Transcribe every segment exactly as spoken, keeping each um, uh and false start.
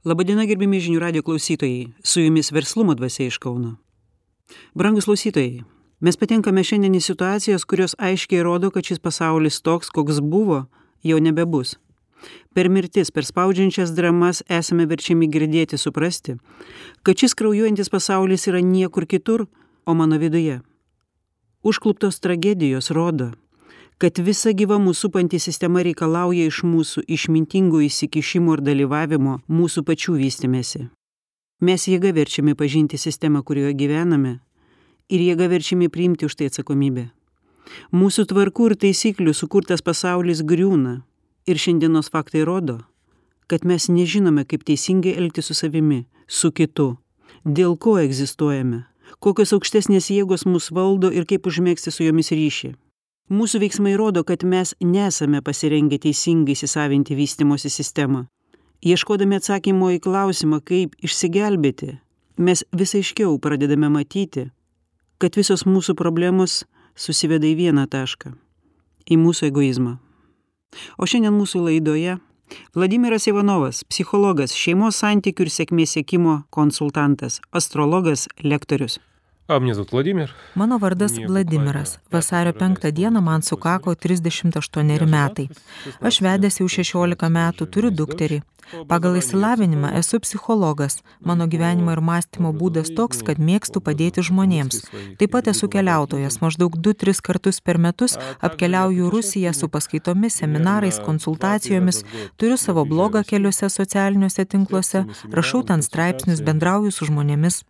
Labadiena, gerbiami žinių radijo klausytojai, su jumis Verslumo dvasia iš Kauno. Brangus klausytojai, mes patenkame šiandien į situacijas, kurios aiškiai rodo, kad šis pasaulis toks, koks buvo, jau nebebus. Per mirtis, per spaudžiančias dramas esame verčiami girdėti, suprasti, kad šis kraujuojantis pasaulis yra niekur kitur, o mano viduje. Užkluptos tragedijos rodo, kad visa gyva mūsų supanti sistema reikalauja iš mūsų išmintingų įsikišimų ir dalyvavimo mūsų pačių vystymėsi. Mes jėga verčiami pažinti sistemą, kurioje gyvename, ir jėga verčiami priimti už tai atsakomybę. Mūsų tvarkų ir taisyklių sukurtas pasaulis griūna, ir šiandienos faktai rodo, kad mes nežinome, kaip teisingai elgtis su savimi, su kitu, dėl ko egzistuojame, kokios aukštesnės jėgos mus valdo ir kaip užmegzti su jomis ryšį. Mūsų veiksmai rodo, kad mes nesame pasirengę teisingai įsisavinti vystymosi sistemą. Ieškodami atsakymo į klausimą, kaip išsigelbėti, mes vis aiškiau pradedame matyti, kad visos mūsų problemos susiveda į vieną tašką – į mūsų egoizmą. O šiandien mūsų laidoje Vladimiras Ivanovas, psichologas, šeimos santykių ir sėkmės siekimo konsultantas, astrologas, lektorius. A mnie zovут Vladimir. Mano vardas Vladimiras. Vasario penktą dieną man sukako trisdešimt aštuoneri metai. Aš vedęs jau šešiolika metų, turiu dukterį. Pagal išsilavinimą esu psichologas. Mano gyvenimo ir mąstymo būdas toks, kad mėgstu padėti žmonėms. Taip pat esu keliautojas. Maždaug du tris kartus per metus apkeliauju Rusiją su paskaitomis, seminarais, konsultacijomis. Turiu savo blogą keliuose socialiniuose tinkluose, rašau ten straipsnius, bendrauju su žmonėmis.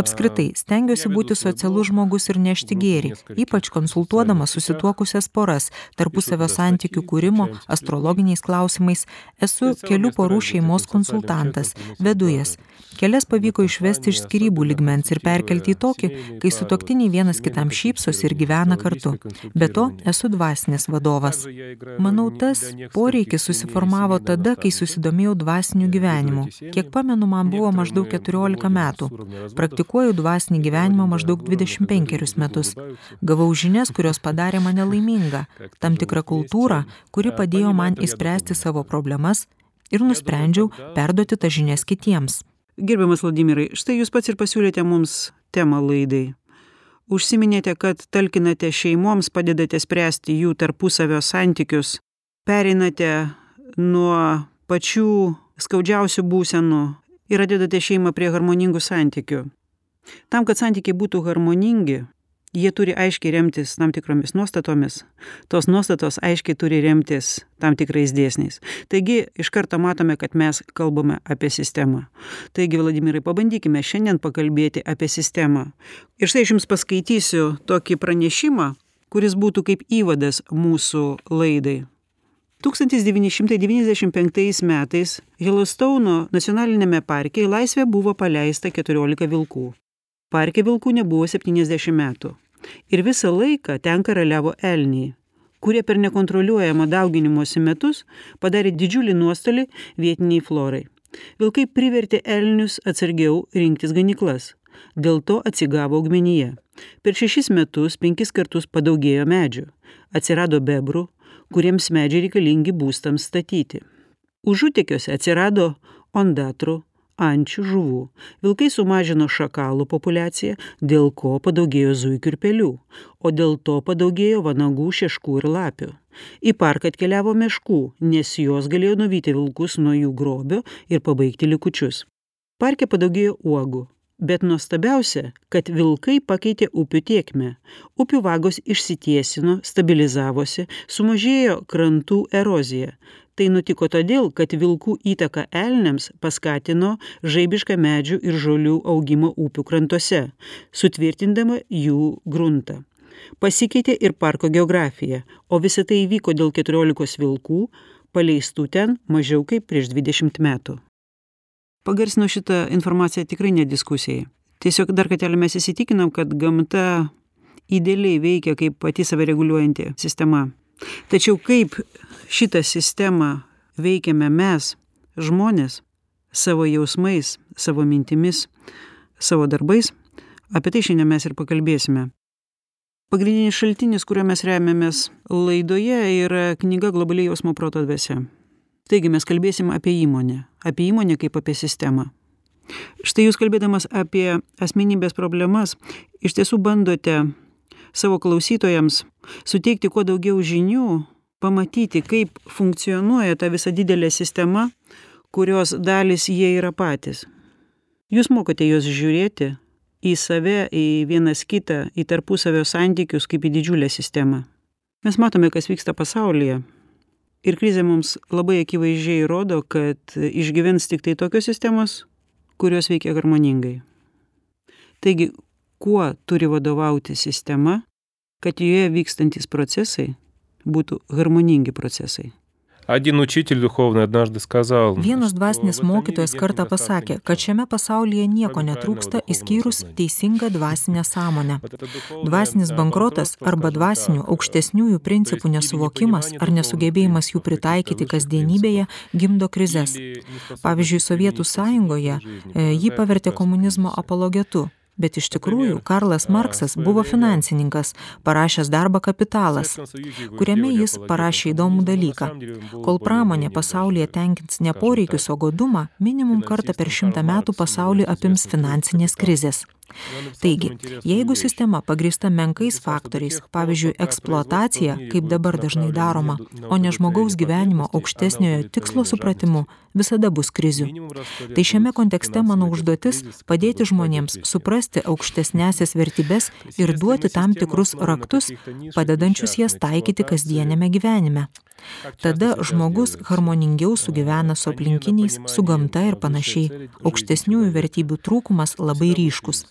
Apskritai, stengiuosi būti socialus žmogus ir nešti gėrį, ypač konsultuodamas susituokusias poras, tarpusavio santykių kūrimo, astrologiniais klausimais. Esu kelių porų šeimos konsultantas, vedu jas. Kelias pavyko išvesti iš skyrybų lygmens ir perkelti į tokį, kai sutuoktiniai vienas kitam šypsosi ir gyvena kartu. Be to, esu dvasinis vadovas. Manau, tas poreikis susiformavo tada, kai susidomėjau dvasiniu gyvenimu. Kiek pamenu, man buvo maždaug keturiolika metų. Praktikuoju dvasinį gyvenimą maždaug dvidešimt penkerius metus. Gavau žinias, kurios padarė mane laimingą, tam tikrą kultūrą, kuri padėjo man išspręsti savo problemas ir nusprendžiau perduoti tas žinias kitiems. Gerbiamas Vladimirai, štai jūs pats ir pasiūlėte mums temą laidai. Užsiminėte, kad talkinate šeimoms, padedate spręsti jų tarpusavio santykius, pereinate nuo pačių skaudžiausių būsenų ir atvedate šeimą prie harmoningų santykių. Tam, kad santykiai būtų harmoningi, jie turi aiškiai remtis tam tikromis nuostatomis. Tos nuostatos aiškiai turi remtis tam tikrais dėsniais. Taigi, iš karto matome, kad mes kalbame apie sistemą. Taigi, Vladimirai, pabandykime šiandien pakalbėti apie sistemą. Ir štai aš jums paskaitysiu tokį pranešimą, kuris būtų kaip įvadas mūsų laidai. tūkstantis devyni šimtai devyniasdešimt penktais metais Yellowstono nacionaliniame parke į laisvę buvo paleista keturiolika vilkų. Parke vilkų nebuvo septyniasdešimt metų. Ir visą laiką ten karaliavo elniai, kurie per nekontroliuojamą dauginimosi metus padarė didžiulį nuostolį vietiniai florai. Vilkai privertė elnius atsargiau rinktis ganyklas. Dėl to atsigavo augmenija. Per šešis metus penkis kartus padaugėjo medžių. Atsirado bebrų, kuriems medžiai reikalingi būstams statyti. Užutekiuose atsirado ondatrų, ančių, žuvų. Vilkai sumažino šakalų populiaciją, dėl ko padaugėjo zuikių ir pelių, o dėl to padaugėjo vanagų, šeškų ir lapių. Į parką atkeliavo meškų, nes jos galėjo nuvyti vilkus nuo jų grobio ir pabaigti likučius. Parke padaugėjo uogų. Bet nuostabiausia, kad vilkai pakeitė upių tėkmę. Upių vagos išsitiesino, stabilizavosi, sumažėjo krantų erozija. Tai nutiko todėl, kad vilkų įtaka elniams paskatino žaibišką medžių ir žolių augimą upių krantuose, sutvirtindama jų gruntą. Pasikeitė ir parko geografija, o visa tai įvyko dėl keturiolikos vilkų, paleistų ten mažiau kaip prieš dvidešimt metų. Pagarsino šitą informaciją tikrai ne diskusijai. Tiesiog dar kartelį mes įsitikinam, kad gamta idealiai veikia kaip pati save reguliuojanti sistema. Tačiau kaip šitą sistemą veikiame mes, žmonės, savo jausmais, savo mintimis, savo darbais, apie tai šiandien mes ir pakalbėsime. Pagrindinis šaltinis, kuriuo mes remiamės laidoje, yra knyga Globali jausmo proto dvasia. Taigi mes kalbėsim apie įmonę, apie įmonę kaip apie sistemą. Štai jūs kalbėdamas apie asmenybės problemas, iš tiesų bandote savo klausytojams suteikti kuo daugiau žinių, pamatyti, kaip funkcionuoja ta visa didelė sistema, kurios dalis jie yra patys. Jūs mokote juos žiūrėti į save, į vienas kitą, į tarpusavio santykius kaip į didžiulę sistemą. Mes matome, kas vyksta pasaulyje. Ir krizė mums labai akivaizdžiai rodo, kad išgyvens tik tai tokios sistemos, kurios veikia harmoningai. Taigi, kuo turi vadovauti sistema, kad joje vykstantis procesai būtų harmoningi procesai? Один учитель духовный однажды сказал, Vienas dvasinis mokytojas kartą pasakė, kad šiame pasaulyje nieko netrūksta išskyrus teisingą dvasinę sąmonę. Dvasinis bankrotas arba dvasinių aukštesniųjų principų nesuvokimas ar nesugebėjimas jų pritaikyti kasdienybėje gimdo krizes. Pavyzdžiui, Sovietų sąjungoje e, jį pavertė komunizmo apologetu. Bet iš tikrųjų, Karlas Marksas buvo finansininkas, parašęs darbą Kapitalas, kuriame jis parašė įdomų dalyką. Kol pramonė pasaulyje tenkins ne poreikius, o godumą, minimum kartą per šimtą metų pasaulį apims finansinės krizės. Taigi, jeigu sistema pagrįsta menkais faktoriais, pavyzdžiui, eksploatacija, kaip dabar dažnai daroma, o ne žmogaus gyvenimo aukštesniojo tikslo supratimu, visada bus krizių. Tai šiame kontekste mano užduotis padėti žmonėms suprasti aukštesnėsias vertybes ir duoti tam tikrus raktus, padedančius jas taikyti kasdienėme gyvenime. Tada žmogus harmoningiau sugyvena su aplinkiniais, su gamta ir panašiai. Aukštesniųjų vertybių trūkumas labai ryškus.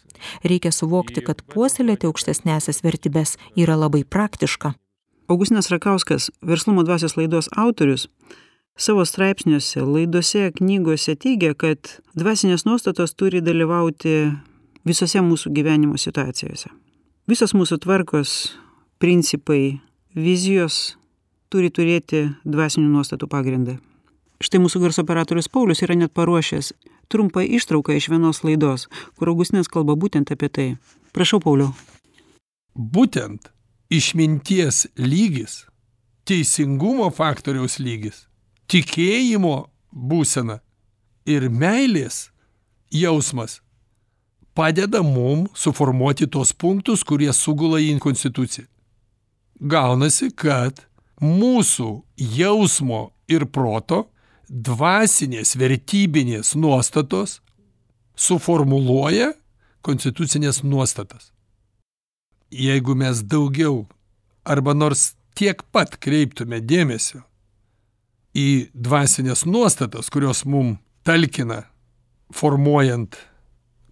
Reikia suvokti, kad puoselėti aukštesnėsias vertybes yra labai praktiška. Augustinas Rakauskas, Verslumo dvasios laidos autorius, savo straipsniuose, laidose, knygose teigia, kad dvasinės nuostatos turi dalyvauti visose mūsų gyvenimo situacijose. Visos mūsų tvarkos, principai, vizijos turi turėti dvasinių nuostatų pagrindą. Štai mūsų garso operatorius Paulius yra net paruošęs trumpą ištrauką iš vienos laidos, kur Augustinas kalba būtent apie tai. Prašau, Pauliau. Būtent išminties lygis, teisingumo faktoriaus lygis, tikėjimo būsena ir meilės jausmas padeda mum suformuoti tos punktus, kurie sugula į konstituciją. Gaunasi, kad mūsų jausmo ir proto dvasinės vertybinės nuostatos suformuluoja konstitucinės nuostatas. Jeigu mes daugiau arba nors tiek pat kreiptume dėmesio į dvasinės nuostatas, kurios mum talkina formuojant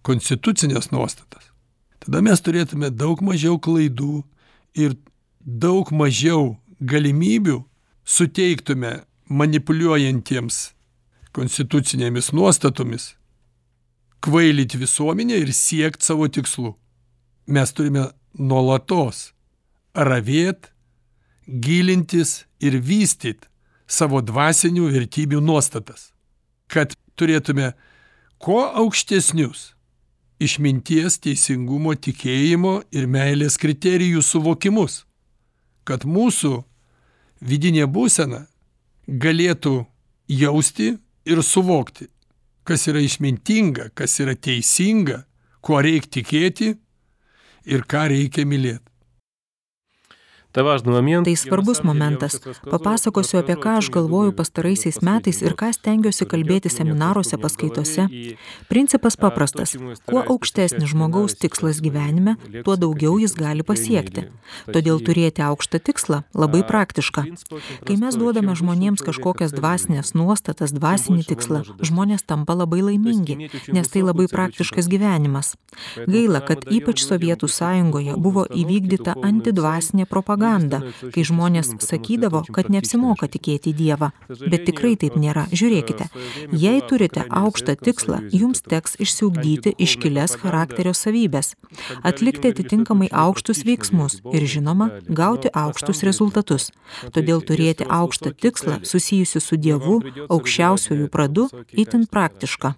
konstitucinės nuostatas, tada mes turėtume daug mažiau klaidų ir daug mažiau galimybių suteiktume manipuliuojantiems konstitucinėmis nuostatomis kvailyti visuomenę ir siekti savo tikslų. Mes turime nuolatos ravėt, gilintis ir vystyt savo dvasinių vertybių nuostatas, kad turėtume kuo aukštesnius išminties, teisingumo, tikėjimo ir meilės kriterijų suvokimus, kad mūsų vidinė būsena galėtų jausti ir suvokti, kas yra išmintinga, kas yra teisinga, kuo reikia tikėti ir ką reikia mylėti. Tai svarbus momentas. Papasakosiu, apie ką aš galvoju pastaraisiais metais ir ką stengiuosi kalbėti seminaruose, paskaitose. Principas paprastas. Kuo aukštesnis žmogaus tikslas gyvenime, tuo daugiau jis gali pasiekti. Todėl turėti aukštą tikslą labai praktiška. Kai mes duodame žmonėms kažkokias dvasinės nuostatas, dvasinį tikslą, žmonės tampa labai laimingi, nes tai labai praktiškas gyvenimas. Gaila, kad ypač Sovietų sąjungoje buvo įvykdyta antidvasinė propaganda. Kai žmonės sakydavo, kad neapsimoka tikėti Dievą. Bet tikrai taip nėra. Žiūrėkite, jei turite aukštą tikslą, jums teks išsiugdyti iškilias charakterio savybės, atlikti atitinkamai aukštus veiksmus ir, žinoma, gauti aukštus rezultatus. Todėl turėti aukštą tikslą susijusiu su Dievu, aukščiausiuoju pradu, itin praktiška.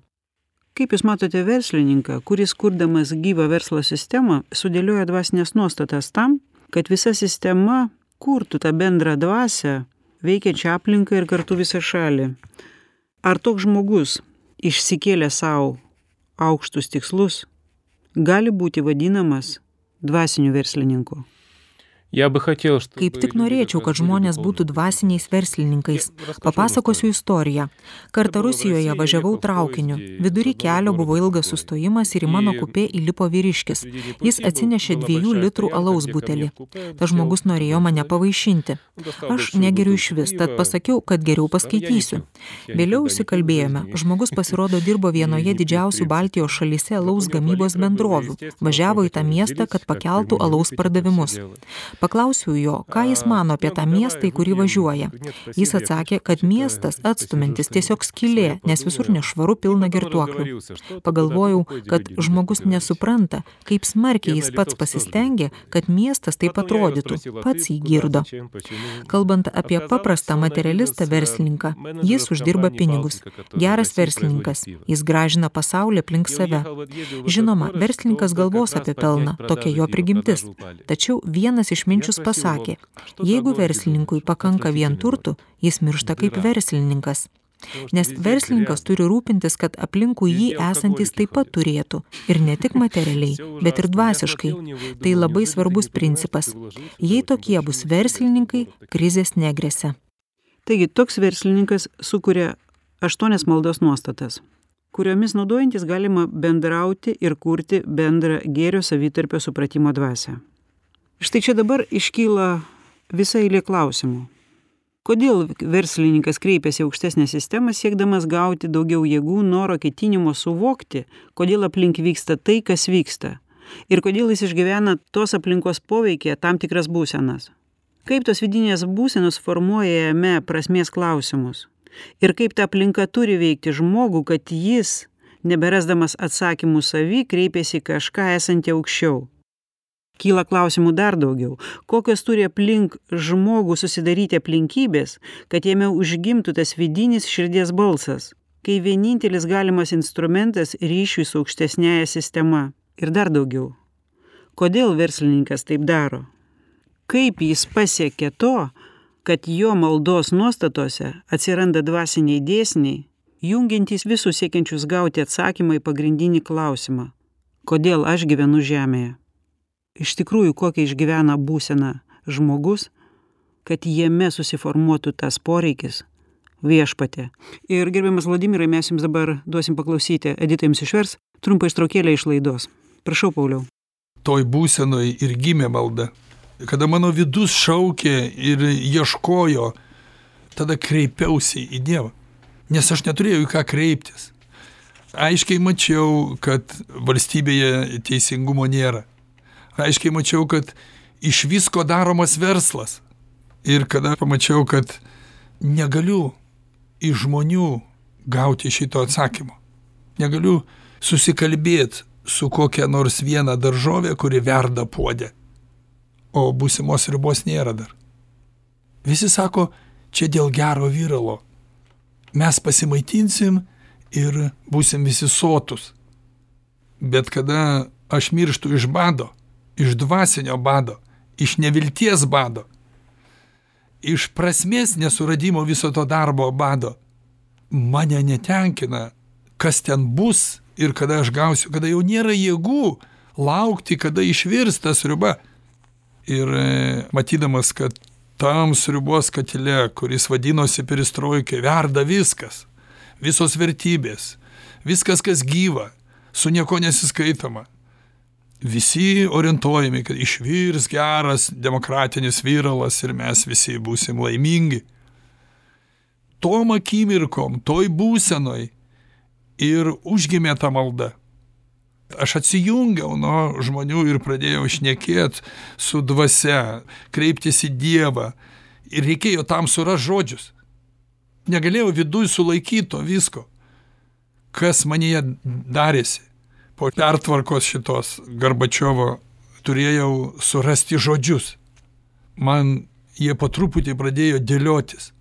Kaip jūs matote verslininką, kuris kurdamas gyvą verslo sistemą, sudėlioja dvasinės nuostatas tam, kad visa sistema kurtų tą bendrą dvasią, veikiančią aplinką ir kartu visą šalį. Ar toks žmogus, išsikėlė savo aukštus tikslus, gali būti vadinamas dvasiniu verslininku? Я бы хотел, чтобы Kaip tik norėčiau, kad žmonės būtų dvasiniais verslininkais. Papasakosiu istoriją. Kartą Rusijoje važiavau traukiniu. Vidury kelio buvo ilgas sustojimas ir į mano kupė įlipo vyriškis. Jis atsinešė dviejų litrų alaus butelį. Tas žmogus norėjo mane pavaišinti. Aš negeriu iš vis, tad pasakiau, kad geriau paskaitysiu. Vėliau įsikalbėjome. Žmogus pasirodo dirbo vienoje didžiausių Baltijos šalyse alaus gamybos bendrovių. Važiavo į tą miestą, kad pakeltų alaus pardavimus. Paklausiau jo, ką jis mano apie tą miestą, į kurį važiuoja. Jis atsakė, kad miestas atstumintis tiesiog skylė, nes visur nešvaru pilna girtuoklių. Pagalvojau, kad žmogus nesupranta, kaip smarkiai jis pats pasistengė, kad miestas taip atrodytų, pats jį girdo. Kalbant apie paprastą materialistą verslininką, jis uždirba pinigus. Geras verslininkas, jis gražina pasaulį aplink save. Žinoma, verslininkas galvos apie pelną, tokia jo prigimtis. Tačiau vienas iš minčius pasakė, jeigu verslininkui pakanka vien turtų, jis miršta kaip verslininkas. Nes verslininkas turi rūpintis, kad aplinkui jį esantis taip pat turėtų. Ir ne tik materialiai, bet ir dvasiškai. Tai labai svarbus principas. Jei tokie bus verslininkai, krizės negresia. Taigi, toks verslininkas sukuria aštuonias maldos nuostatas, kuriomis naudojantis galima bendrauti ir kurti bendrą gėrio savitarpio supratimo dvasią. Štai čia dabar iškyla visa eilė klausimų. Kodėl verslininkas kreipiasi į aukštesnę sistemą, siekdamas gauti daugiau jėgų, noro, ketinimo suvokti, kodėl aplink vyksta tai, kas vyksta, ir kodėl jis išgyvena tos aplinkos poveikyje tam tikras būsenas? Kaip tos vidinės būsenos formuoja jame prasmės klausimus? Ir kaip ta aplinka turi veikti žmogų, kad jis, neberasdamas atsakymų savy, kreipiasi kažką esantį aukščiau? Kyla klausimų dar daugiau. Kokios turi aplink žmogų susidaryti aplinkybės, kad jame užgimtų tas vidinis širdies balsas, kai vienintelis galimas instrumentas ryšiui su aukštesnėje sistema. Ir dar daugiau. Kodėl verslininkas taip daro? Kaip jis pasiekė to, kad jo maldos nuostatose atsiranda dvasiniai dėsniai, jungiantys visus siekiančius gauti atsakymą į pagrindinį klausimą. Kodėl aš gyvenu žemėje? Iš tikrųjų, kokią išgyvena būseną žmogus, kad jame susiformuotų tas poreikis viešpatė. Ir gerbiamas Vladimirai, mes jums dabar duosim paklausyti, Edita jums išvers trumpą ištraukėlę iš laidos. Prašau, Pauliau. Toj būsenoj ir gimė malda. Kada mano vidus šaukė ir ieškojo, tada kreipiausi į Dievą. Nes aš neturėjau į ką kreiptis. Aiškiai mačiau, kad valstybėje teisingumo nėra. Aiškiai mačiau, kad iš visko daromas verslas. Ir kada pamačiau, kad negaliu iš žmonių gauti šito atsakymo. Negaliu susikalbėti su kokia nors viena daržovė, kuri verda puode. O būsimos ribos nėra dar. Visi sako, čia dėl gero viralo. Mes pasimaitinsim ir būsim visi sotus. Bet kada aš mirštu iš bado, iš dvasinio bado, iš nevilties bado, iš prasmės nesuradimo viso to darbo bado, mane netenkina, kas ten bus ir kada aš gausiu, kada jau nėra jėgų laukti, kada išvirs ta sriuba. Ir matydamas, kad tam sriubos katile, kuris vadinosi perestroika, verda viskas, visos vertybės, viskas, kas gyva, su nieko nesiskaitoma. Visi orientuojami, kad išvirs geras demokratinis viralas ir mes visi būsim laimingi. Tom akimirkom, toj būsenoj ir užgimė ta malda. Aš atsijungiau nuo žmonių ir pradėjau šnekėti su dvasia, kreiptis į Dievą. Ir reikėjo tam surast žodžius. Negalėjau viduj sulaikyti to visko, kas manyje darėsi. Po pertvarkos šitos Gorbačiovo turėjau surasti žodžius. Man jie po truputį pradėjo dėliotis.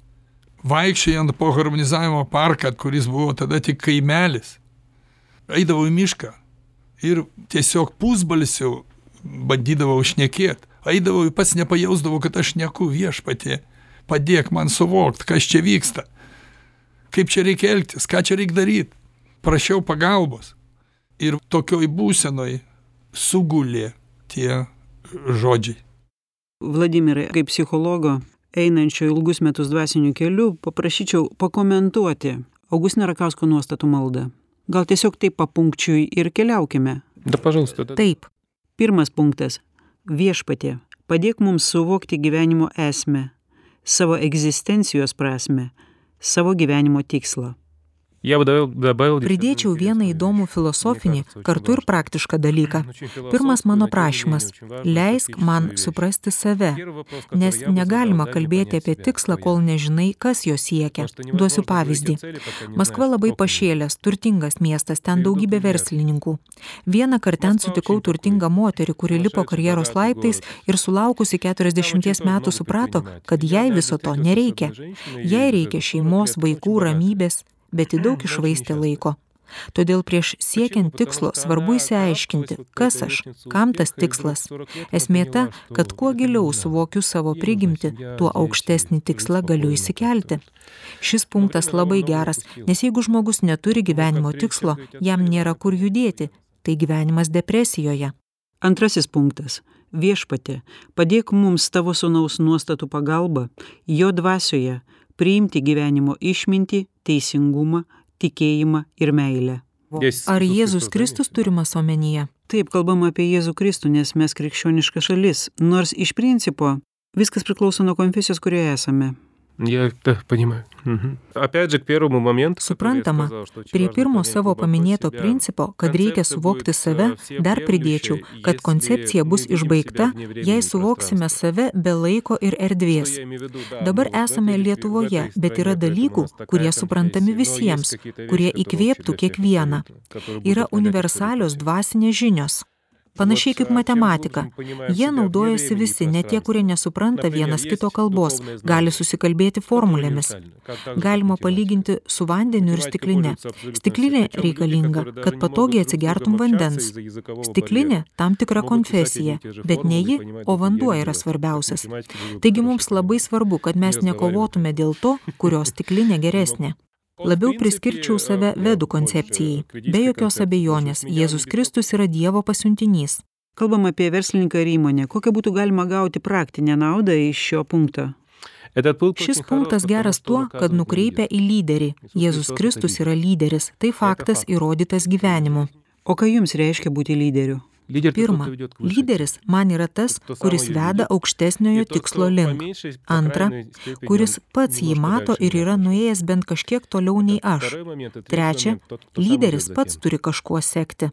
Vaikščiojant po harmonizavimo parką, kuris buvo tada tik kaimelis, eidavau į mišką ir tiesiog pusbalsiu bandydavau šnekėti. Eidavau ir pats nepajausdavau, kad aš šneku viešpatie. padėk man suvokt, kas čia vyksta, kaip čia reikia elgtis, ką čia reikia daryti. Prašiau pagalbos. Ir tokioj būsenoj sugulė tie žodžiai. Vladimirai, kaip psichologo, einančio ilgus metus dvasiniu keliu, paprašyčiau pakomentuoti Augustino Rakausko nuostatų maldą. Gal tiesiog taip papunkčiui ir keliaukime. Да, пожалуйста. Да. Taip, Pirmas punktas. Viešpatie, padėk mums suvokti gyvenimo esmę, savo egzistencijos prasmę, savo gyvenimo tikslą. Я бы добавил, добавил pridėčiau vieną įdomų filosofinį, kartu ir praktišką dalyką. Pirmas mano prašymas – leisk man suprasti save, nes negalima kalbėti apie tikslą, kol nežinai, kas jo siekia. Duosiu pavyzdį. Maskva labai pašėlęs, turtingas miestas, ten daugybė verslininkų. Vieną kartą ten sutikau turtingą moterį, kuri lipo karjeros laiptais ir sulaukusi keturiasdešimties metų suprato, kad jai viso to nereikia. Jai reikia šeimos, vaikų, ramybės, bet į daug išvaistė laiko. Todėl prieš siekiant tikslo svarbu įsiaiškinti, kas aš, kam tas tikslas. Esmė ta, kad kuo giliau suvokiu savo prigimtį, tuo aukštesnį tikslą galiu įsikelti. Šis punktas labai geras, nes jeigu žmogus neturi gyvenimo tikslo, jam nėra kur judėti, tai gyvenimas depresijoje. Antrasis punktas. Viešpatie, padėk mums tavo sūnaus nuostatų pagalba, jo dvasioje, priimti gyvenimo išmintį, teisingumą, tikėjimą ir meilę. Ar Jėzus Kristus turimas omenyje? Taip, kalbama apie Jėzų Kristų, nes mes krikščioniška šalis, nors iš principo viskas priklauso nuo konfesijos, kurioje esame. Я да, понимаю. Мгм. Опять же, к первому моменту, Suprantama, prie pirmo savo paminėto principo, kad reikia suvokti save, dar pridėčiau, kad koncepcija bus išbaigta, jei suvoksime save be laiko ir erdvės. Dabar esame Lietuvoje, bet yra dalykų, kurie suprantami visiems, kurie įkvėptų kiekvieną. Yra universalios dvasinės žinios. Panašiai kaip matematika. Jie naudojasi visi, net tie, kurie nesupranta vienas kito kalbos, gali susikalbėti formulėmis. Galima palyginti su vandeniu ir stikline. Stiklinė reikalinga, kad patogiai atsigertum vandens. Stiklinė tam tikra konfesija, bet ne ji, o vanduo yra svarbiausias. Taigi mums labai svarbu, kad mes nekovotume dėl to, kurios stiklinė geresnė. Labiau priskirčiau save vedų koncepcijai. Be jokios abejonės, Jėzus Kristus yra Dievo pasiuntinys. Kalbam apie verslininką ir įmonę. Kokią būtų galima gauti praktinę naudą iš šio punkto? Šis punktas geras tuo, kad nukreipia į lyderį. Jėzus Kristus yra lyderis. Tai faktas įrodytas gyvenimu. O ką jums reiškia būti lyderiu? Pirma, lyderis man yra tas, kuris veda aukštesniojo tikslo link. Antra, kuris pats jį mato ir yra nuėjęs bent kažkiek toliau nei aš. Trečia, lyderis pats turi kažkuo sekti.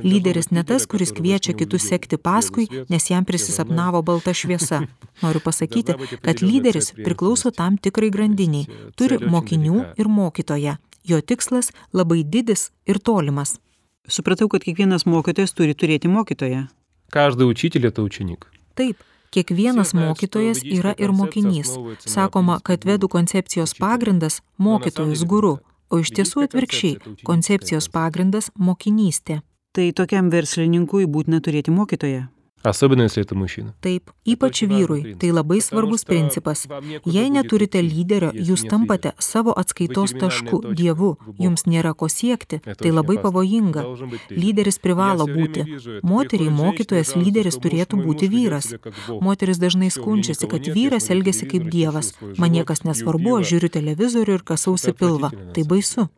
Lyderis ne tas, kuris kviečia kitus sekti paskui, nes jam prisisapnavo balta šviesa. Noriu pasakyti, kad lyderis priklauso tam tikrai grandiniai, turi mokinių ir mokytoją. Jo tikslas labai didis ir tolimas. Supratau, kad kiekvienas mokytojas turi turėti mokytoją. Каждый учитель — это ученик. Taip, kiekvienas mokytojas yra ir mokinys. Sakoma, kad vedų koncepcijos pagrindas – mokytojus guru, o iš tiesų atvirkščiai – koncepcijos pagrindas – mokinystė. Tai tokiam verslininkui būtina turėti mokytoją. Особенно, если это мужчина. Taip, ypač vyrui. Tai labai svarbus principas. Jei neturite lyderio, jūs tampate savo atskaitos tašku, Dievu. Jums nėra ko siekti. Tai labai pavojinga. Lyderis privalo būti. Moteriai mokytojas lyderis turėtų būti vyras. Moteris dažnai skundžiasi, kad vyras elgiasi kaip Dievas. Man niekas nesvarbu, aš žiūriu televizorių ir kasausi pilvą. Tai baisu.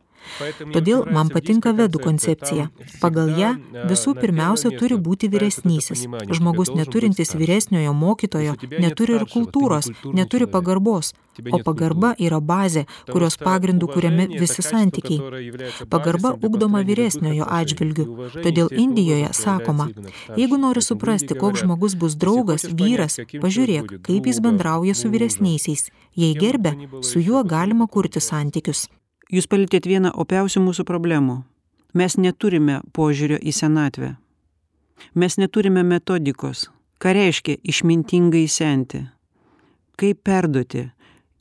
Todėl man patinka vedų koncepcija. Pagal ją visų pirmiausia turi būti vyresnysis. Žmogus neturintis vyresniojo mokytojo neturi ir kultūros, neturi pagarbos. O pagarba yra bazė, kurios pagrindų kuriami visi santykiai. Pagarba ugdoma vyresniojo atžvilgiu. Todėl Indijoje sakoma, jeigu nori suprasti, koks žmogus bus draugas, vyras, pažiūrėk, kaip jis bendrauja su vyresniaisiais. Jei gerbia, su juo galima kurti santykius. Jūs palietėt vieną opiausių mūsų problemų. Mes neturime požiūrio į senatvę. Mes neturime metodikos. Ką reiškia išmintingai senti? Kaip perduoti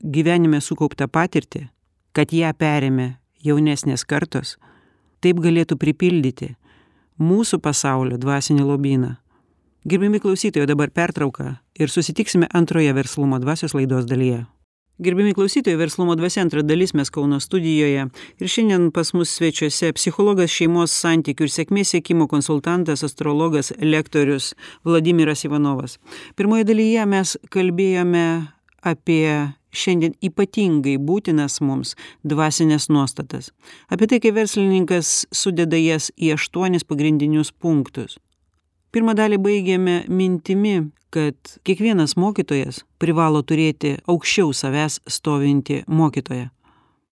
gyvenime sukauptą patirtį, kad ją perėmė jaunesnės kartos, taip galėtų pripildyti mūsų pasaulio dvasinį lobyną. Gerbiami klausytojai, dabar pertrauka ir susitiksime antroje verslumo dvasios laidos dalyje. Gerbiami klausytojai, Verslumo dvasia antra dalis, mes Kauno studijoje. Ir šiandien pas mus svečiuose psichologas, šeimos santykių ir sėkmės siekimo konsultantas, astrologas, lektorius Vladimiras Ivanovas. Pirmoje dalyje mes kalbėjome apie šiandien ypatingai būtinas mums dvasinės nuostatas. Apie tai, kaip verslininkas sudeda jas į aštuonis pagrindinius punktus. Pirmą dalį baigėme mintimi, kad kiekvienas mokytojas privalo turėti aukščiau savęs stovintį mokytoją.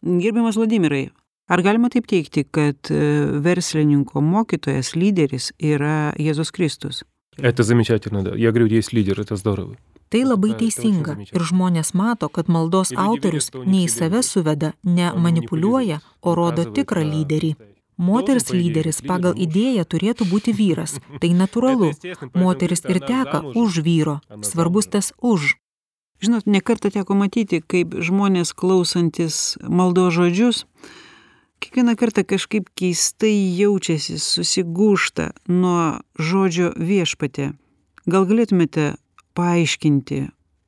Gerbiamas Vladimirai, ar galima taip teigti, kad verslininko mokytojas, lyderis yra Jėzus Kristus? Это замечательно, да. Я говорю, есть лидер, это здорово. Tai labai teisinga ir žmonės mato, kad maldos autorius ne į save suveda, ne manipuliuoja, o rodo tikrą lyderį. Moters lyderis pagal idėją turėtų būti vyras. Tai natūralu. Moteris ir teka už vyro. Svarbus tas už. Žinot, ne kartą teko matyti, kaip žmonės klausantis maldos žodžius, kiekvieną kartą kažkaip keistai jaučiasi, susigūžta nuo žodžio viešpatie. Gal galėtumėte paaiškinti,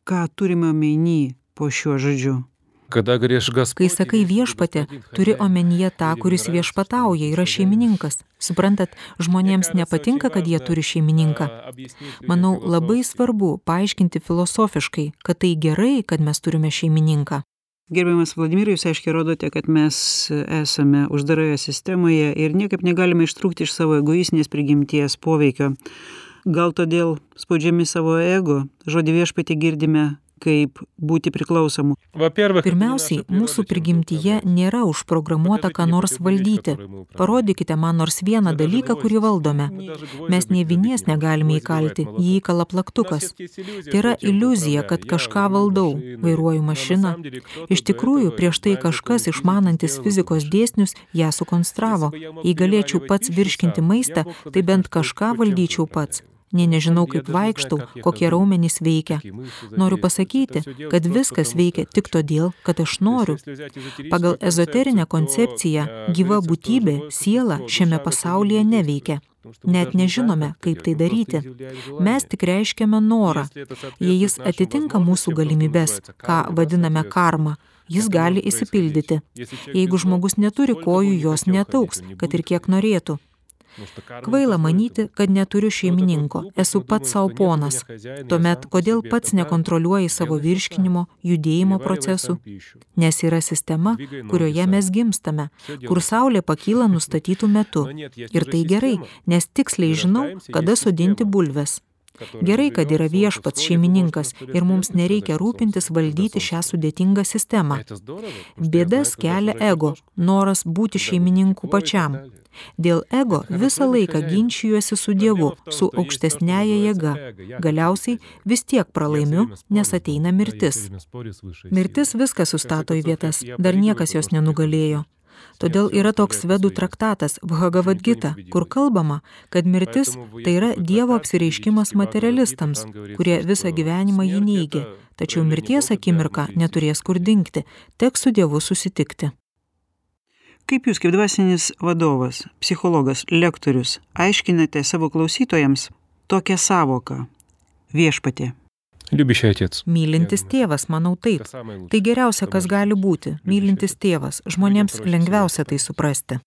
ką turime omeny po šiuo žodžiu? Kai sakai viešpatė, turi omenyje tą, kuris viešpatauja, yra šeimininkas. Suprantat, žmonėms nepatinka, kad jie turi šeimininką. Manau, labai svarbu paaiškinti filosofiškai, kad tai gerai, kad mes turime šeimininką. Gerbiamas Vladimirai, jūs aiškiai rodote, kad mes esame uždaroje sistemoje ir niekaip negalime ištrūkti iš savo egoistinės prigimties poveikio. Gal todėl spaudžiami savo ego, žodį viešpatį girdime kaip būti priklausomu. Pirmiausiai, mūsų prigimtyje nėra užprogramuota ką nors valdyti. Parodykite man nors vieną dalyką, kurį valdome. Mes nė vinies negalime įkalti, jį įkala plaktukas. Tai yra iliuzija, kad kažką valdau, vairuoju mašiną. Iš tikrųjų, prieš tai kažkas išmanantis fizikos dėsnius ją sukonstravo. Jei galėčiau pats virškinti maistą, tai bent kažką valdyčiau pats. Nė nežinau, kaip vaikštau, kokie raumenys veikia. Noriu pasakyti, kad viskas veikia tik todėl, kad aš noriu. Pagal ezoterinę koncepciją gyva būtybė, siela šiame pasaulyje neveikia. Net nežinome, kaip tai daryti. Mes tik reiškiame norą. Jei jis atitinka mūsų galimybes, ką vadiname karma, jis gali išsipildyti. Jeigu žmogus neturi kojų, jos netauks, kad ir kiek norėtų. Kvaila manyti, kad neturiu šeimininko, esu pats savo ponas. Tuomet, kodėl pats nekontroliuoji savo virškinimo, judėjimo procesų? Nes yra sistema, kurioje mes gimstame, kur saulė pakyla nustatytų metu. Ir tai gerai, nes tiksliai žinau, kada sodinti bulves. Gerai, kad yra viešpats šeimininkas ir mums nereikia rūpintis valdyti šią sudėtingą sistemą. Bėdas kelia ego, noras būti šeimininku pačiam. Dėl ego visą laiką ginčijuosi su Dievu, su aukštesniaja jėga. Galiausiai vis tiek pralaimiu, nes ateina mirtis. Mirtis viską sustato į vietas, dar niekas jos nenugalėjo. Todėl yra toks vedų traktatas Bhagavad Gita, kur kalbama, kad mirtis tai yra Dievo apsireiškimas materialistams, kurie visą gyvenimą jį neigia, tačiau mirties akimirką neturės kur dingti, teks su Dievu susitikti. Kaip jūs, kaip dvasinis vadovas, psichologas, lektorius, aiškinate savo klausytojams tokią savoką viešpatie? Любящий отец. Mylintis tėvas, manau taip. Tai geriausia, kas gali būti. Mylintis tėvas. Žmonėms lengviausia tai suprasti.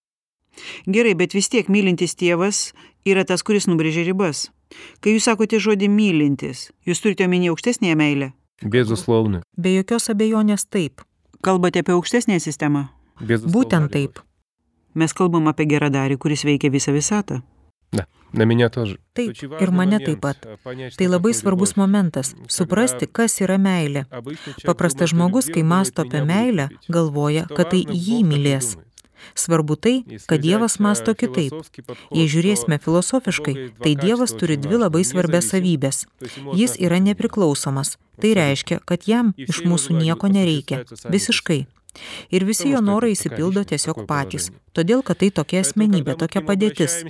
Gerai, bet vis tiek mylintis tėvas yra tas, kuris nubrėžia ribas. Kai jūs sakote žodį mylintis, jūs turite omenyje aukštesnėje meilę? Безусловно. Be jokios abejonės taip. Kalbate apie aukštesnėją sistemą? Būtent taip. Mes kalbam apie geradarį, kuris veikia visą visatą. Да, на меня тоже. Taip, ir mane taip pat. Tai labai svarbus momentas – suprasti, kas yra meilė. Paprastas žmogus, kai mąsto apie meilę, galvoja, kad tai jį mylės. Svarbu tai, kad Dievas mąsto kitaip. Jei žiūrėsime filosofiškai, tai Dievas turi dvi labai svarbias savybės. Jis yra nepriklausomas. Tai reiškia, kad jam iš mūsų nieko nereikia. Visiškai. Ir visi jo norai išsipildo tiesiog patys. Todėl, kad tai tokia asmenybė, tokia padėtis.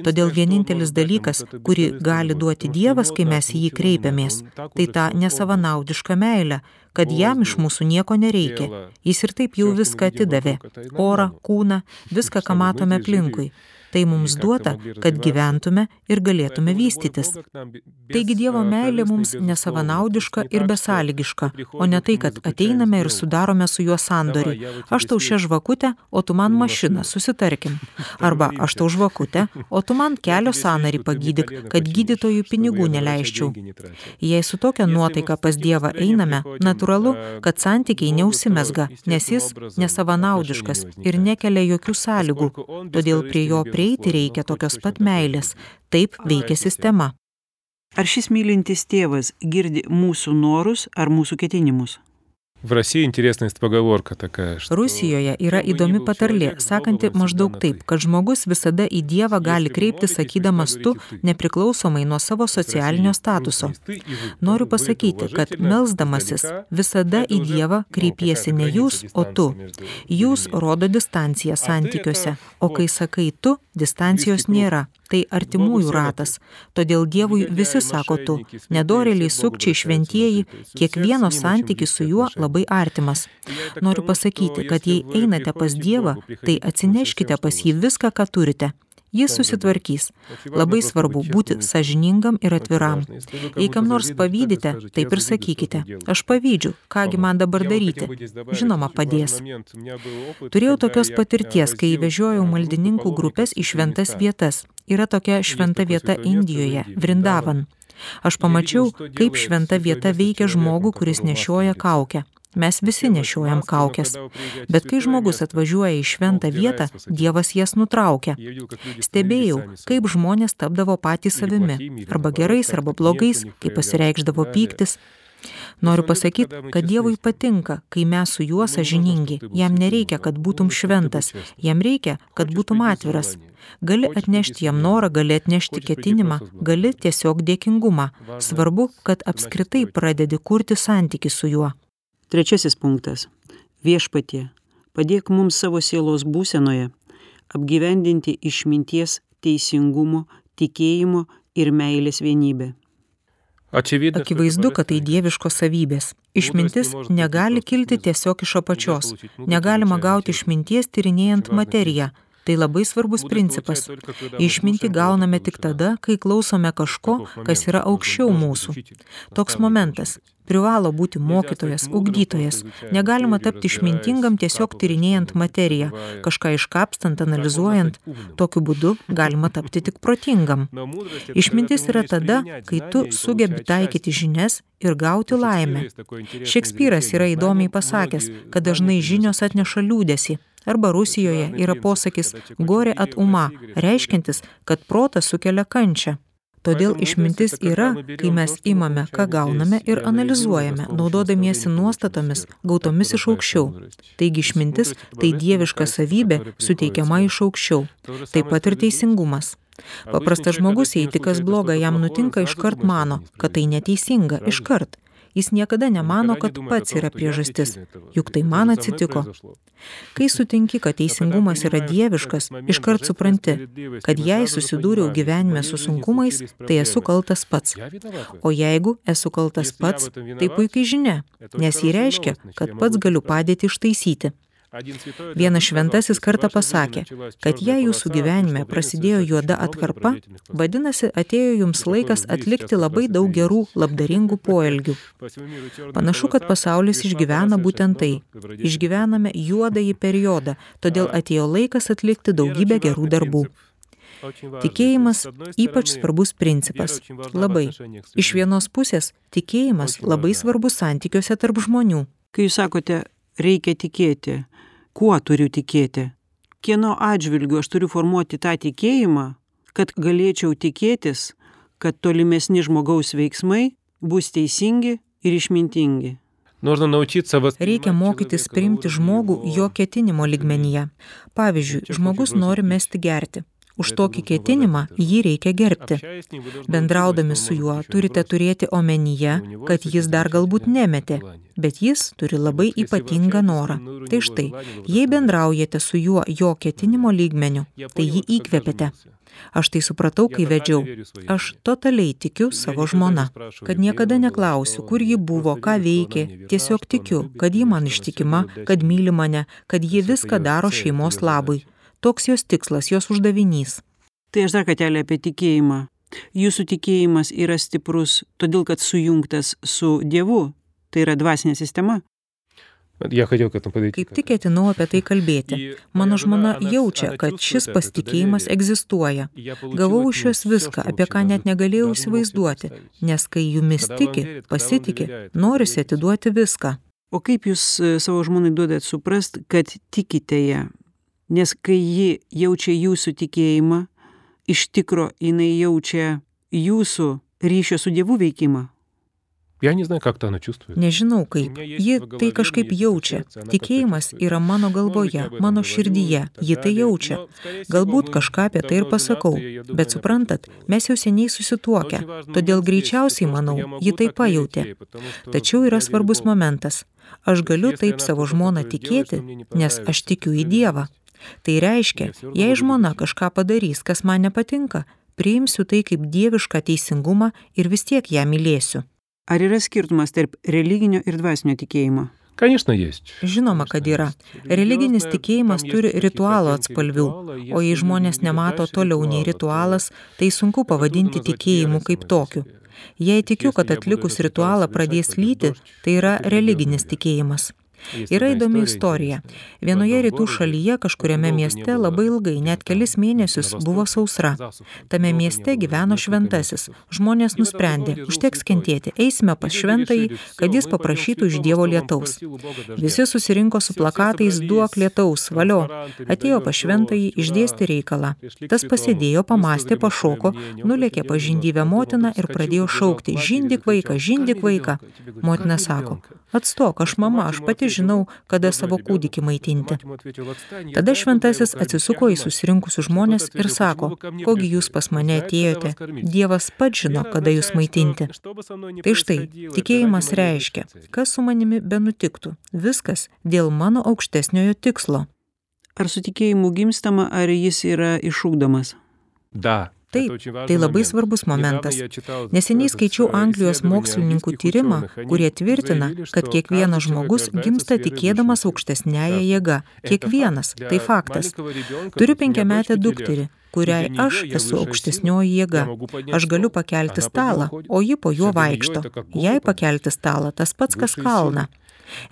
Todėl vienintelis dalykas, kurį gali duoti Dievas, kai mes į jį kreipiamės, tai ta nesavanaudiška meilė, kad jam iš mūsų nieko nereikia. Jis ir taip jau viską atidavė. Orą, kūną, viską, ką matome aplinkui. Tai mums duota, kad gyventume ir galėtume vystytis. Taigi Dievo meilė mums nesavanaudiška ir besąlygiška, o ne tai, kad ateiname ir sudarome su juo sandorį. Aš tau šią žvakutę, o tu man mašiną, susitarkim. Arba aš tau žvakutę, o tu man kelio sąnarį pagydyk, kad gydytojų pinigų neleisčiau. Jei su tokia nuotaika pas Dievą einame, natūralu, kad santykiai neužsimezga, nes jis nesavanaudiškas ir nekelia jokių sąlygų, todėl prie jo prieiti reikia tokios pat meilės. Taip veikia sistema. Ar šis mylintis tėvas girdi mūsų norus ar mūsų ketinimus? В России интересная поговорка такая, что... Rusijoje yra įdomi patarlė, sakanti maždaug taip, kad žmogus visada į Dievą gali kreipti sakydamas tu, nepriklausomai nuo savo socialinio statuso. Noriu pasakyti, kad melsdamasis visada į Dievą kreipiesi ne jūs, o tu. Jūs rodo distanciją santykiuose, o kai sakai tu, distancijos nėra. Tai artimųjų ratas. Todėl Dievui visi sako tu. Nedorėliai, sukčiai, šventieji, kiekvieno santykis su juo labai artimas. Noriu pasakyti, kad jei einate pas Dievą, tai atsineškite pas jį viską, ką turite. Jis susitvarkys. Labai svarbu būti sąžiningam ir atviram. Jei kam nors pavydite, taip ir sakykite. Aš pavydžiu, kągi man dabar daryti. Žinoma, padės. Turėjau tokios patirties, kai vežiojau maldininkų grupės į šventas vietas. Yra tokia šventa vieta Indijoje, Vrindavan. Aš pamačiau, kaip šventa vieta veikia žmogų, kuris nešioja kaukę. Mes visi nešiojam kaukės. Bet kai žmogus atvažiuoja į šventą vietą, Dievas jas nutraukia. Stebėjau, kaip žmonės tapdavo patys savimi. Arba gerais, arba blogais, kai pasireikšdavo pyktis. Noriu pasakyti, kad Dievui patinka, kai mes su juo sąžiningi. Jam nereikia, kad būtum šventas. Jam reikia, kad būtum atviras. Gali atnešti jam norą, gali atnešti ketinimą, gali tiesiog dėkingumą. Svarbu, kad apskritai pradedi kurti santykį su juo. Trečiasis punktas. Viešpatie, padėk mums savo sielos būsenoje apgyvendinti išminties, teisingumo, tikėjimo ir meilės vienybę. Akivaizdu, kad tai dieviškos savybės. Išmintis negali kilti tiesiog iš apačios. Negalima gauti išminties tyrinėjant materiją. Tai labai svarbus principas. Išmintį gauname tik tada, kai klausome kažko, kas yra aukščiau mūsų. Toks momentas. Privalo būti mokytojas, ugdytojas. Negalima tapti išmintingam tiesiog tyrinėjant materiją, kažką iškapstant, analizuojant. Tokiu būdu galima tapti tik protingam. Išmintis yra tada, kai tu sugebi taikyti žinias ir gauti laimę. Šekspyras yra įdomiai pasakęs, kad dažnai žinios atneša liūdesį. Arba Rusijoje yra posakis gorė at uma, reiškiantis, kad protas sukelia kančią. Todėl išmintis yra, kai mes imame, ką gauname ir analizuojame, naudodamiesi nuostatomis, gautomis iš aukščiau. Taigi išmintis tai dieviška savybė suteikiama iš aukščiau. Taip pat ir teisingumas. Paprastas žmogus, jei tik kas bloga jam nutinka, iškart mano, kad tai neteisinga, iškart. Jis niekada nemano, kad pats yra priežastis, juk tai man atsitiko. Kai sutinki, kad teisingumas yra dieviškas, iškart supranti, kad jei susidūriau gyvenime su sunkumais, tai esu kaltas pats. O jeigu esu kaltas pats, tai puikiai žinia, nes jį reiškia, kad pats galiu padėti ištaisyti. Vienas šventasis kartą pasakė, kad jei jūsų gyvenime prasidėjo juoda atkarpa, vadinasi, atėjo jums laikas atlikti labai daug gerų, labdaringų poelgių. Panašu, kad pasaulis išgyvena būtent tai. Išgyvename juodąjį periodą, todėl atėjo laikas atlikti daugybę gerų darbų. Tikėjimas ypač svarbus principas. Labai. Iš vienos pusės, tikėjimas labai svarbus santykiuose tarp žmonių. Kai jūs sakote, reikia tikėti, kuo turiu tikėti? Kieno atžvilgiu aš turiu formuoti tą tikėjimą, kad galėčiau tikėtis, kad tolimesni žmogaus veiksmai bus teisingi ir išmintingi? Reikia mokytis priimti žmogų jo ketinimo lygmenyje. Pavyzdžiui, žmogus nori mesti gerti. Už tokį ketinimą jį reikia gerbti. Bendraudami su juo turite turėti omenyje, kad jis dar galbūt nemetė, bet jis turi labai ypatingą norą. Tai štai, jei bendraujate su juo jo ketinimo lygmeniu, tai jį įkvėpėte. Aš tai supratau, kai vedžiau. Aš totaliai tikiu savo žmona, kad niekada neklausiu, kur ji buvo, ką veikė. Tiesiog tikiu, kad ji man ištikima, kad myli mane, kad ji viską daro šeimos labui. Toks jos tikslas, jos uždavinys. Tai aš dar kartelį apie tikėjimą. Jūsų tikėjimas yra stiprus, todėl kad sujungtas su Dievu. Tai yra dvasinė sistema. Я хотел к этому подойти. Kaip tik ketinau apie tai kalbėti. Mano žmona jaučia, kad šis pasitikėjimas egzistuoja. Gavau iš jos viską, apie ką net negalėjau įsivaizduoti, nes kai jumis tiki, pasitiki, norisi atiduoti viską. O kaip jūs savo žmonai duodat suprast, kad tikite ją? Nes kai ji jaučia jūsų tikėjimą, iš tikro jinai jaučia jūsų ryšio su Dievu veikimą. Я не знаю, как-то она чувствует. Nežinau kaip. Ji tai kažkaip jaučia. Tikėjimas yra mano galvoje, mano širdyje. Ji tai jaučia. Galbūt kažką apie tai ir pasakau. Bet suprantat, mes jau seniai susituokę. Todėl greičiausiai, manau, ji tai pajautė. Tačiau yra svarbus momentas. Aš galiu taip savo žmoną tikėti, nes aš tikiu į Dievą. Tai reiškia, jei žmona kažką padarys, kas man nepatinka, priimsiu tai kaip dievišką teisingumą ir vis tiek ją mylėsiu. Ar yra skirtumas tarp religinio ir dvasinio tikėjimo? Конечно, есть. Žinoma, kad yra. Religinis tikėjimas turi ritualo atspalvių, o jei žmonės nemato toliau nei ritualas, tai sunku pavadinti tikėjimu kaip tokiu. Jei tikiu, kad atlikus ritualą pradės lyti, tai yra religinis tikėjimas. Yra įdomi istorija. Vienoje rytų šalyje kažkuriame mieste labai ilgai, net kelis mėnesius, buvo sausra. Tame mieste gyveno šventasis. Žmonės nusprendė, užteks kentėti, eisime pas šventąjį, kad jis paprašytų iš Dievo lietaus. Visi susirinko su plakatais duok lietaus, valio. Atėjo pas šventąjį, išdėstė reikalą. Tas pasėdėjo, pamastė, pašoko, nulėkė pas žindyvę motiną ir pradėjo šaukti, žindyk vaiką, žindyk vaiką. Motina sako, atstok, aš mama, aš pati žinau, kada savo kūdikį maitinti. Tada šventasis atsisuko į susirinkusius žmonės ir sako, kogi jūs pas mane atėjote, Dievas pats žino, kada jūs maitinti. Tai štai, tikėjimas reiškia, kas su manimi benutiktų, viskas dėl mano aukštesniojo tikslo. Ar su tikėjimu gimstama, ar jis yra išugdomas? Да. Taip, tai labai svarbus momentas. Neseniai skaičiau Anglijos mokslininkų tyrimą, kurie tvirtina, kad kiekvienas žmogus gimsta tikėdamas aukštesniąją jėgą. Kiekvienas, tai faktas. Turiu penkiametę dukterį, kuriai aš esu aukštesnioji jėga. Aš galiu pakelti stalą, o ji po juo vaikšto. Jei pakelti stalą, tas pats kas kalną.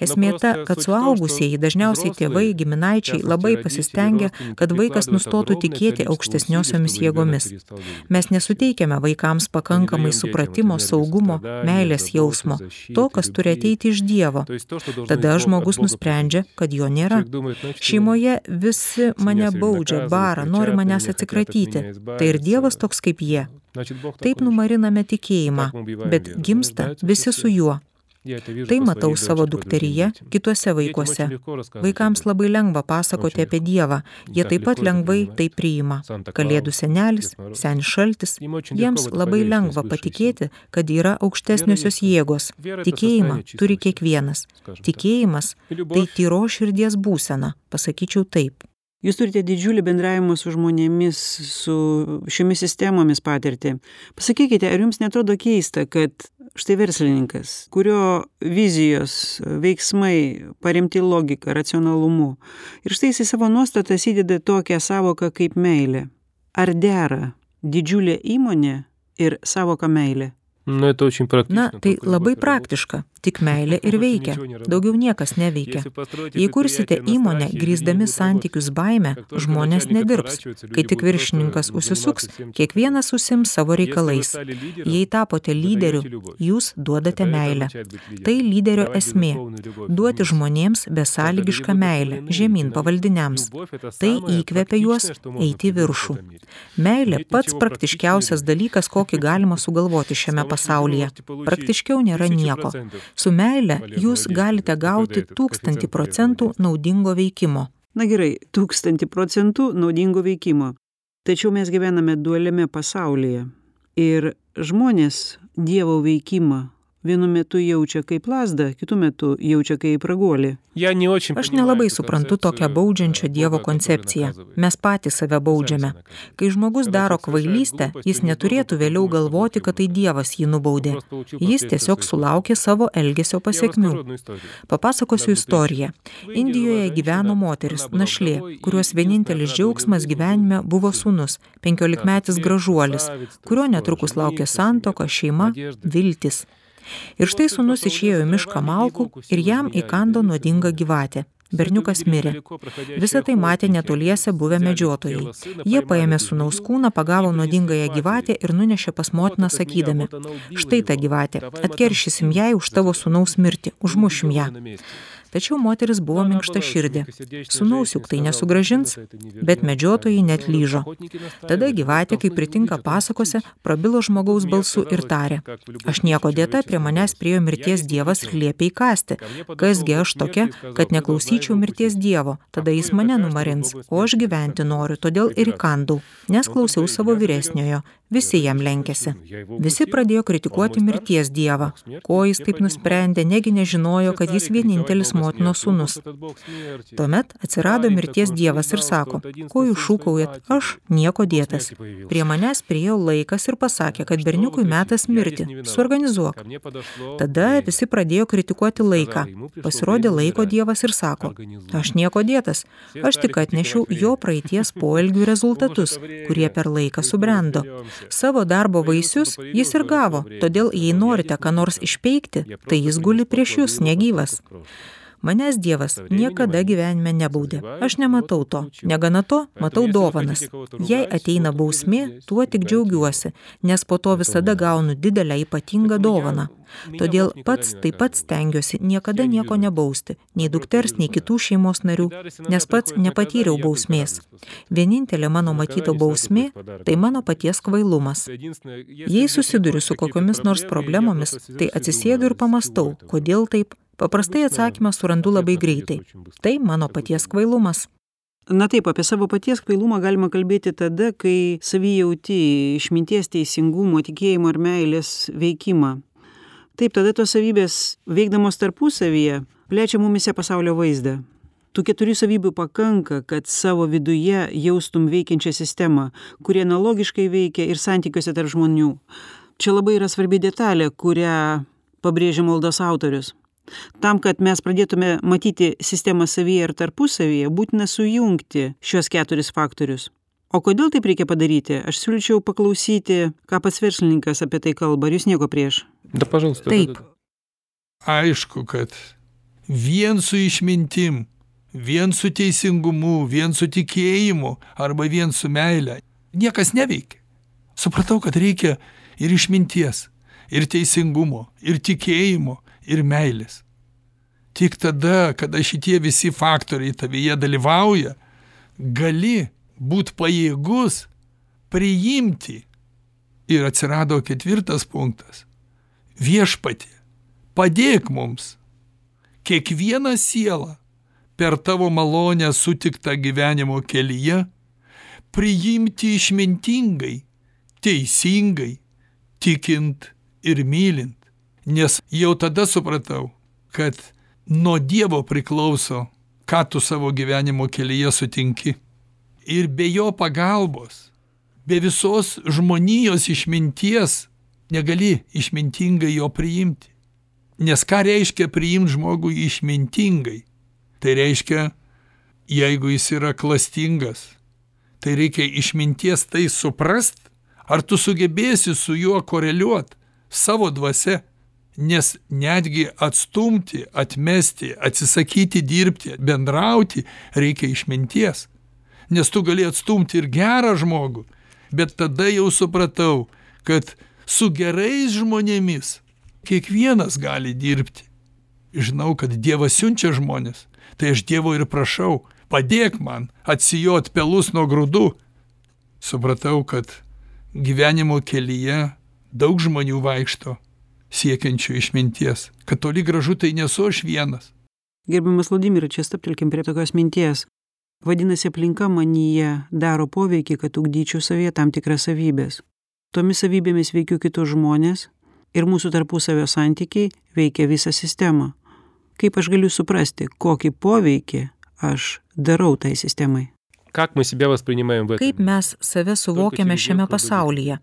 Esmė ta, kad suaugusieji, dažniausiai tėvai, giminaičiai, labai pasistengia, kad vaikas nustotų tikėti aukštesniosiomis jėgomis. Mes nesuteikiame vaikams pakankamai supratimo, saugumo, meilės jausmo, to, kas turi ateiti iš Dievo. Tada žmogus nusprendžia, kad jo nėra. Šeimoje visi mane baudžia, bara, nori manęs atsikratyti. Tai ir Dievas toks kaip jie. Taip numariname tikėjimą, bet gimsta visi su juo. Tai matau savo dukteryje, kituose vaikuose. Vaikams labai lengva pasakoti apie Dievą, jie taip pat lengvai tai priima. Kalėdų senelis, senis šaltis, jiems labai lengva patikėti, kad yra aukštesniosios jėgos. Tikėjimą turi kiekvienas. Tikėjimas tai tyro širdies būsena, pasakyčiau taip. Jūs turite didžiulį bendravimą su žmonėmis, su šiomis sistemomis patirtį. Pasakykite, ar jums netrodo keista, kad štai verslininkas, kurio vizijos, veiksmai paremti logika, racionalumu, ir štai jis į savo nuostatas įdeda tokią savoką kaip meilė. Ar dera didžiulė įmonė ir savoka meilė? Nu, это очень практично. Na, tai labai praktiška, tik meilė ir veikia, daugiau niekas neveikia. Jei kursite įmonę grįsdami santykius baime, žmonės nedirbs. Kai tik viršininkas užsisuks, kiekvienas užsiims savo reikalais. Jei tapote lyderiu, jūs duodate meilę. Tai lyderio esmė – duoti žmonėms besąlygišką meilę, žemyn pavaldiniams. Tai įkvepia juos eiti į viršų. Meilė pats praktiškiausias dalykas, kokį galima sugalvoti šiame pasaulyje. Praktiškiau nėra nieko. Su meile jūs galite gauti tūkstantį procentų naudingo veikimo. Na gerai, tūkstantį procentų naudingo veikimo. Tačiau mes gyvename dualiame pasaulyje. Ir žmonės Dievo veikimą vienu metu jaučia kaip lazdą, kitu metu jaučia kaip raguolį. Aš nelabai suprantu tokią baudžiančią Dievo koncepciją. Mes patys save baudžiame. Kai žmogus daro kvailystę, jis neturėtų vėliau galvoti, kad tai Dievas jį nubaudė. Jis tiesiog sulaukė savo elgesio pasekmių. Papasakosiu istoriją. Indijoje gyveno moteris, našlė, kurios vienintelis džiaugsmas gyvenime buvo sūnus, penkiolikmetis gražuolis, kurio netrukus laukė santuoka, šeima, viltis. Ir štai sūnus išėjo į mišką malkų ir jam įkando nuodinga gyvatė. Berniukas mirė. Visą tai matė netoliese buvę medžiotojai. Jie paėmė sūnaus kūną, pagavo nuodingąją gyvatę ir nunešė pas motiną sakydami: štai ta gyvatė, atkeršysim jai už tavo sūnaus mirtį, užmušim ją. Tačiau moteris buvo minkšta širdė. Sūnaus juk tai nesugrąžins, bet medžiotojai net lyžo. Tada gyvatė, kaip pritinka pasakose, prabilo žmogaus balsu ir tarė: aš nieko dėta, prie manęs priėjo mirties Dievas ir liepė įkąsti. Kasgi aš tokia, kad neklausyčiau mirties Dievo, tada jis mane numarins, o aš gyventi noriu, todėl ir įkandau, nes klausiau savo vyresniojo. Visi jam lenkėsi. Visi pradėjo kritikuoti mirties Dievą. Ko jis taip nusprendė, negi nežinojo, kad jis vienintelis motinos sūnus. Tuomet atsirado mirties Dievas ir sako: ko jūs šūkaujat, aš nieko dėtas. Prie manęs priėjo laikas ir pasakė, kad berniukui metas mirti, suorganizuok. Tada visi pradėjo kritikuoti laiką. Pasirodė laiko Dievas ir sako: aš nieko dėtas, aš tik atnešiau jo praeities poelgių rezultatus, kurie per laiką subrendo. Savo darbo vaisius jis ir gavo, todėl jei norite ką nors išpeikti, tai jis guli prieš jūs negyvas. Manęs Dievas niekada gyvenime nebaudė. Aš nematau to. Negana to, matau dovanas. Jei ateina bausmė, tuo tik džiaugiuosi, nes po to visada gaunu didelę ypatingą dovaną. Todėl pats taip pat stengiuosi niekada nieko nebausti, nei dukters, nei kitų šeimos narių, nes pats nepatyriau bausmės. Vienintelė mano matyta bausmė – tai mano paties kvailumas. Jei susiduriu su kokiomis nors problemomis, tai atsisėdu ir pamastau, kodėl taip. Paprastai atsakymą surandu labai greitai. Tai mano paties kvailumas. Na taip, apie savo paties kvailumą galima kalbėti tada, kai savy jauti išminties, teisingumo, tikėjimo ir meilės veikimą. Taip, tada tos savybės, veikdamos tarpusavyje, plečia mumise pasaulio vaizdą. Tų keturių savybių pakanka, kad savo viduje jaustum veikiančią sistemą, kuri analogiškai veikia ir santykiuose tarp žmonių. Čia labai yra svarbi detalė, kurią pabrėžia maldos autorius. Tam, kad mes pradėtume matyti sistemą savyje ir tarpusavyje, būtina sujungti šios keturis faktorius. O kodėl taip reikia padaryti? Aš siūlyčiau paklausyti, ką pats verslininkas apie tai kalba. Ar jūs nieko prieš? Да, пожалуйста. Taip. Aišku, kad vien su išmintim, vien su teisingumu, vien su tikėjimu arba vien su meile niekas neveikia. Supratau, kad reikia ir išminties, ir teisingumo, ir tikėjimo, ir meilės. Tik tada, kada šitie visi faktoriai tavyje dalyvauja, gali būt pajėgus priimti. Ir atsirado ketvirtas punktas. Viešpatie, padėk mums kiekvieną sielą per tavo malonę sutiktą gyvenimo kelyje priimti išmintingai, teisingai, tikint ir mylint. Nes jau tada supratau, kad nuo Dievo priklauso, ką tu savo gyvenimo kelyje sutinki. Ir be jo pagalbos, be visos žmonijos išminties negali išmintingai jo priimti. Nes ką reiškia priimti žmogų išmintingai? Tai reiškia, jeigu jis yra klastingas, tai reikia išminties tai suprast, ar tu sugebėsi su juo koreliuoti savo dvasia. Nes netgi atstumti, atmesti, atsisakyti dirbti, bendrauti reikia išminties. Nes tu gali atstumti ir gerą žmogų, bet tada jau supratau, kad su gerais žmonėmis kiekvienas gali dirbti. Žinau, kad Dievas siunčia žmonės, tai aš Dievo ir prašau, padėk man atsijot pelus nuo grūdų. Supratau, kad gyvenimo kelyje daug žmonių vaikšto siekiančių išminties, kad toli gražu tai nesu aš vienas. Gerbiamas Vladimirai, čia stabtelkim prie tokios minties. Vadinasi, aplinka manyje daro poveikį, kad ugdyčiau savyje tam tikras savybės. Tomis savybėmis veikiu kitus žmonės ir mūsų tarpusavio santykiai veikia visą sistemą. Kaip aš galiu suprasti, kokį poveikį aš darau tai sistemai? Как мы себя воспринимаем в этом? Kaip mes save suvokiame šiame pasaulyje?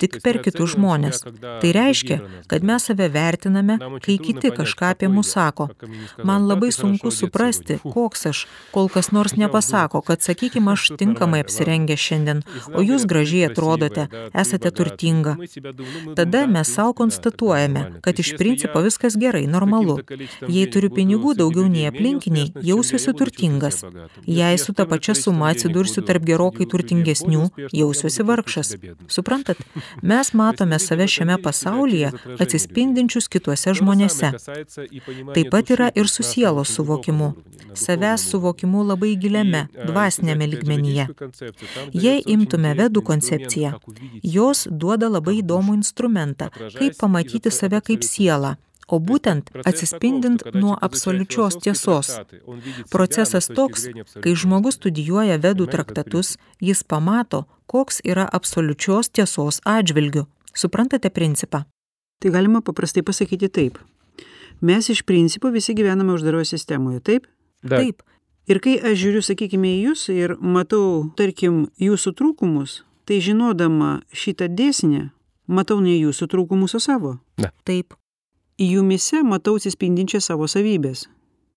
Tik per kitus žmonės. Tai reiškia, kad mes save vertiname, kai kiti kažką apie mus sako. Man labai sunku suprasti, koks aš, kol kas nors nepasako, kad, sakykime, aš tinkamai apsirengę šiandien, o jūs gražiai atrodote, esate turtinga. Tada mes savo konstatuojame, kad iš principo viskas gerai, normalu. Jei turiu pinigų daugiau nei aplinkiniai, jausiuosi turtingas. Jei su ta pačia suma atsidursiu tarp gerokai turtingesnių, jausiuosi vargšas. Suprantat? Mes matome save šiame pasaulyje atsispindinčius kituose žmonėse. Taip pat yra ir su sielos suvokimu. Savęs suvokimu labai giliame, dvasinėme lygmenyje. Jei imtume vedų koncepciją, jos duoda labai įdomų instrumentą, kaip pamatyti save kaip sielą, o būtent atsispindint nuo absoliučios tiesos. Procesas toks, kai žmogus studijuoja vedų traktatus, jis pamato, koks yra absoliučios tiesos atžvilgiu. Suprantate principą? Tai galima paprastai pasakyti taip. Mes iš principo visi gyvename uždaroje sistemoje, taip? Да. Taip. Ir kai aš žiūriu, sakykime, į jūs ir matau, tarkim, jūsų trūkumus, tai žinodama šitą dėsnį, matau ne jūsų trūkumus, o savo. Taip. Jumyse matau atsispindinčias savo savybės.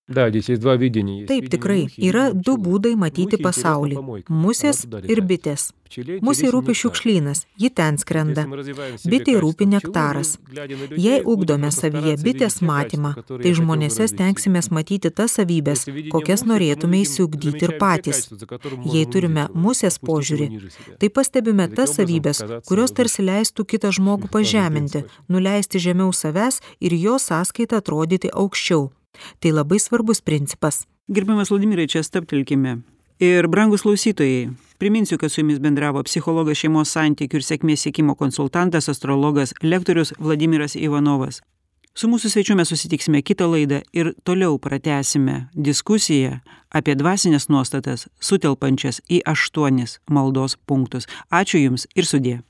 Да, здесь есть два видения. Есть Taip, видение tikrai. мухи и Yra видение du пчелы. būdai matyti Мухе pasaulį. интересна помойка. Musės Она туда ir летает. bitės. Пчеле Musei интересен rūpi нектар. šiukšlynas, ji ten skrenda. Если мы развиваем в себе Bitei качество rūpi пчелы, nektaras. мы, глядя на людей, Jei будем ugdome просто savyje стараться bitės видеть те matymą, качества, которые tai я хотел бы žmonėse развить в себе. stengsimės matyti tas savybės, Если видение kokias мухи, то мы norėtume видим, įsiugdyti ir замечаем те patys. качества, за которые мы Jei можем turime унизить его, musės опустить его požiūrį, ниже себя. tai pastebime Таким tas образом savybės, казаться kurios выше. tarsi leistų kitą žmogų pažeminti, nuleisti žemiau savęs ir jo sąskaitą atrodyti aukščiau. Tai labai svarbus principas. Gerbiamas Vladimirai, čia stabtelkime. Ir brangus klausytojai, priminsiu, kad su jumis bendravo psichologas, šeimos santykių ir sėkmės siekimo konsultantas, astrologas, lektorius Vladimiras Ivanovas. Su mūsų svečiu mes susitiksime kitą laidą ir toliau pratęsime diskusiją apie dvasinės nuostatas, sutelpančias į aštuonis maldos punktus. Ačiū Jums ir sudie.